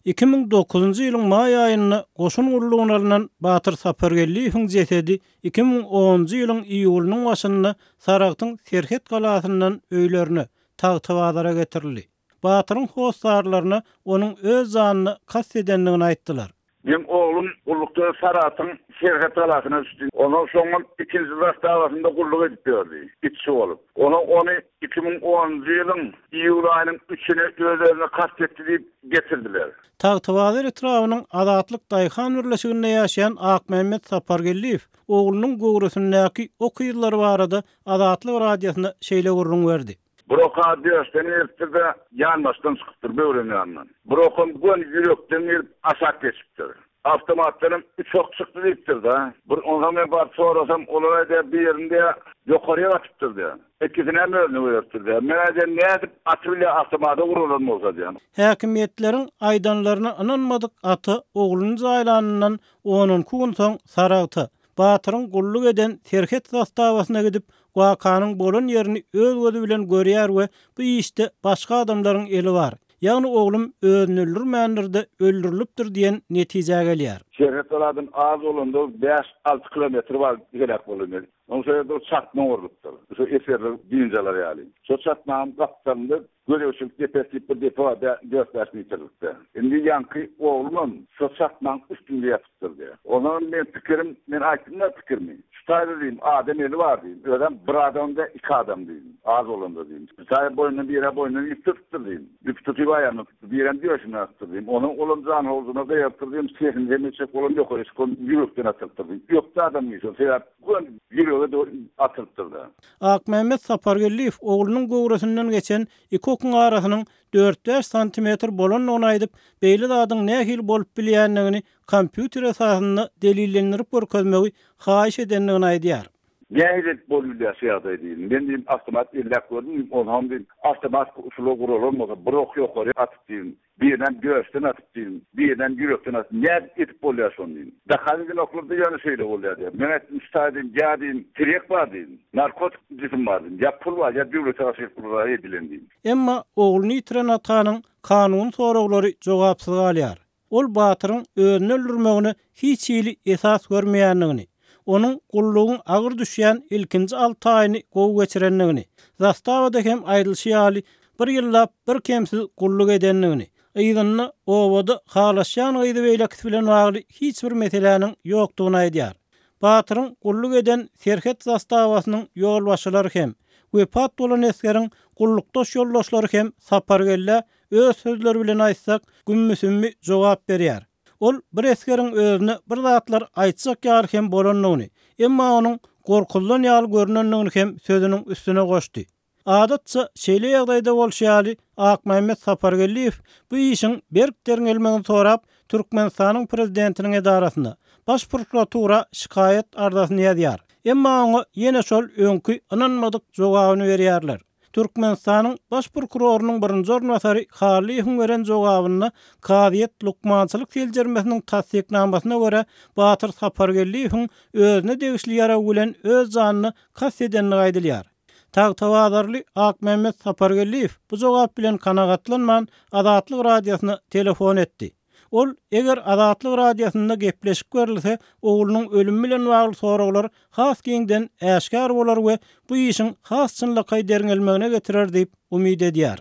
2009-njy ýylyň maý aýynda goşun gullugyna alnan Batyr Sapargeldiýewiň jesedi 2010-njy ýylyň iýulynyň başynda Saragtyň serhet galasyndan öýlerine, Tagtabazara getirildi. Batyryň hossarlaryna onuň öz janyna kast edendigini aýtdylar. Meň oglum gullukda Saragtyň serhet galasyna düşdi. Onsoň şoňam ikinji zastawasynda gulluk edip ýördi, itçi bolup. Onsoň ony 2010-njy ýylyň iýul aýynyň üçüne öz-özüne kast etdi diýip getirdiler. Tagtabazar etrabynyň Azatlyk daýhan birleşiginde ýaşaýan Akmämmet Sapargeldiýew oglunyň göwresindäki ok yzlary barada Azatlyk Radiosyna şeýle gürrüň berdi. Bir oka döşden giripdir-de, ýanbaşdan çykypdyr, böwregiň ýanyndan. Bir okam göni ýürekden girip, aşak geçipdir. Awtomatdanam üç ok çykdy diýipdir-de. Bir onsoň men baryp sorasam, olar aýdýar, birini diýýär, ýokaryk atypdyr diýýär. Ikisinem özüne goýberipdir diýýär. Men aýdýan, nädip atybilýär awtomata guralan bolsa diýýän. Häkimiýetleriň aýdanlaryna ynanmadyk ata ogluny jaýlanyndan on-onki gün soň Saragta, Batyryň gulluk eden serhet zastawasyna gidip, wakanyň bolan ýerini öz gözi bilen görýär we bu işde başga adamlaryň eli bar, ýagny oglum özüni öldürmändir-de, öldürilipdir diýen netijä gelýär. Serhet galadan az bolanda bäş-alty kilometr bar heläk bolan ýeri. Oň şo ýerde bir çatma gurlupdyr. Şo esgerler dynç alar ýaly. Şo çatmanyň gapdalynda Gözegçilik depesi diýip bir depe bar, dört-bäş metrlikde. Indi ýaňky oglumam şo çatmaň üstünde ýatypdyr diýýär. Onsoňam meň pikirim, men aýtdym-da pikirimi. Şu taýda diýdim, adam eli bar diýdim. Özem bir adam däl, iki adam diýdim. Az bolanda diýdim. Bir taýy boýnundan, bir-ä boýnundan ýüp tutypdyr diýdim. Ýüp tutyp aýagyndan tutdy, birem döşünden asypdyr diýdim. Onsoň olam janhowzuna gygyrypdyr diýdim, sesini sem etjek bolan ýokary çykan ýürekden atylypdyr diýdim. Ökde adam diýdi şol, sebäp göni ýürege dogry atylypdyr-da. Akmämmet Sapargeldiýew oglunyň göwresinden geçen iki okuň arasynyň dört-bäş santimetr bolandygyny aýdyp, beýle zadyň nähili bolup bilýändigini kompýuter esasynda delillendirip görkezmegi haýyş edendigini aýdýar. Nähili edip bolubilýär şu ýagdaý diýdim. Men diýdim, awtomat elläp gördüm diýdim, onsoňam diýdim, awtomat usula guralan bolsa, bir ok ýokary atyp diýdim, Birinem döşden atyp diýdim, birinem ýürekden atyp, nädip edip bolýar şony diýdim. Dakar edenoklarda ýöne şeýle bolýar diýýär. Men aýtdym, şu taýda diýdim, ýa diýdim, tirýek bar diýdim, narkotik jisim bar diýdim, ýa pul bar, ýa döwlete garşy pul edilen diýdim. Emma ogluny ýitiren atanyň kanuny soraglary jogapsyz galýar. Ol Batyryň özüni öldürmegine hiç hili esas görmeýändigini, onuň gullugyň agyr düşýän ilkinji alty aýyny gowy geçirendigini, zastawada hem aýdylyşy ýaly, bir ýyllap birkemsiz gulluk edendigini, yzynda obada halaşýan gyzy beýlekisi bilen bagly hiç bir meseläniň ýokdugyny aýdýar. Batyryň gulluk eden serhet zastawasynyň ýolbaşçylary hem, wepat bolan esgeriň gullukdaş ýoldaşlary hem Sapargeldä öz sözleri bilen aýtsak, gümmi-sümmi jogap berýär. Ol bir esgeriň özüne bir zatlar aýtjak ýaly hem bolandygyny, emma onuň gorkuzylan ýaly görnendigini hem sözüniň üstüne goşdy. Adatça, şeýle ýagdaýda bolşy ýaly, Akmämmet Sapargeldiýew bu işiň berk derňelmegini sorap, Türkmenistanyň Prezidentiniň edarasyna, Baş prokuratura şikaýat arzasyny ýazýar. Emma oňa ýene şol öňki ynanmadyk jogabyny berýärler. Türkmenistanyň Baş prokurorynyň birinji orunbasary Hallyýewiň beren jogabynda kazyýet lukmançylyk seljermesiniň tassyknamasyna görä Batyr Sapargeldiýewiň özüne degişli ýarag bilen öz janyna kast edendigi aýdylýar. Tagtabazarly Akmämmet Sapargeldiýew bu jogap bilen kanagatlanman Azatlyk Radiosyna telefon etdi. Ol, eger Azatlyk Radiosynda gepleşik berilse, oglunyň ölümi bilen bagly soraglar has giňden äşgär bolar we bu işiň has çynlakaý derňelmegine getirer diýip umyt edýär.